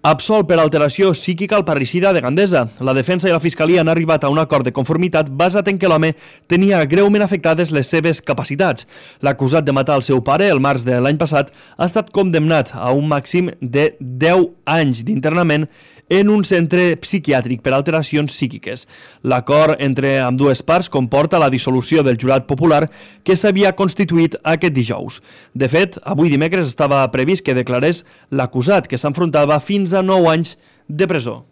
Absolt per alteració psíquica al parricida de Gandesa. La defensa i la fiscalia han arribat a un acord de conformitat basat en que l'home tenia greument afectades les seves capacitats. L'acusat de matar el seu pare el març de l'any passat ha estat condemnat a un màxim de 10 anys d'internament en un centre psiquiàtric per alteracions psíquiques. L'acord entre ambdues parts comporta la dissolució del jurat popular que s'havia constituït aquest dijous. De fet, avui dimecres estava previst que declarés l'acusat, que s'enfrontava fins a 9 anys de presó.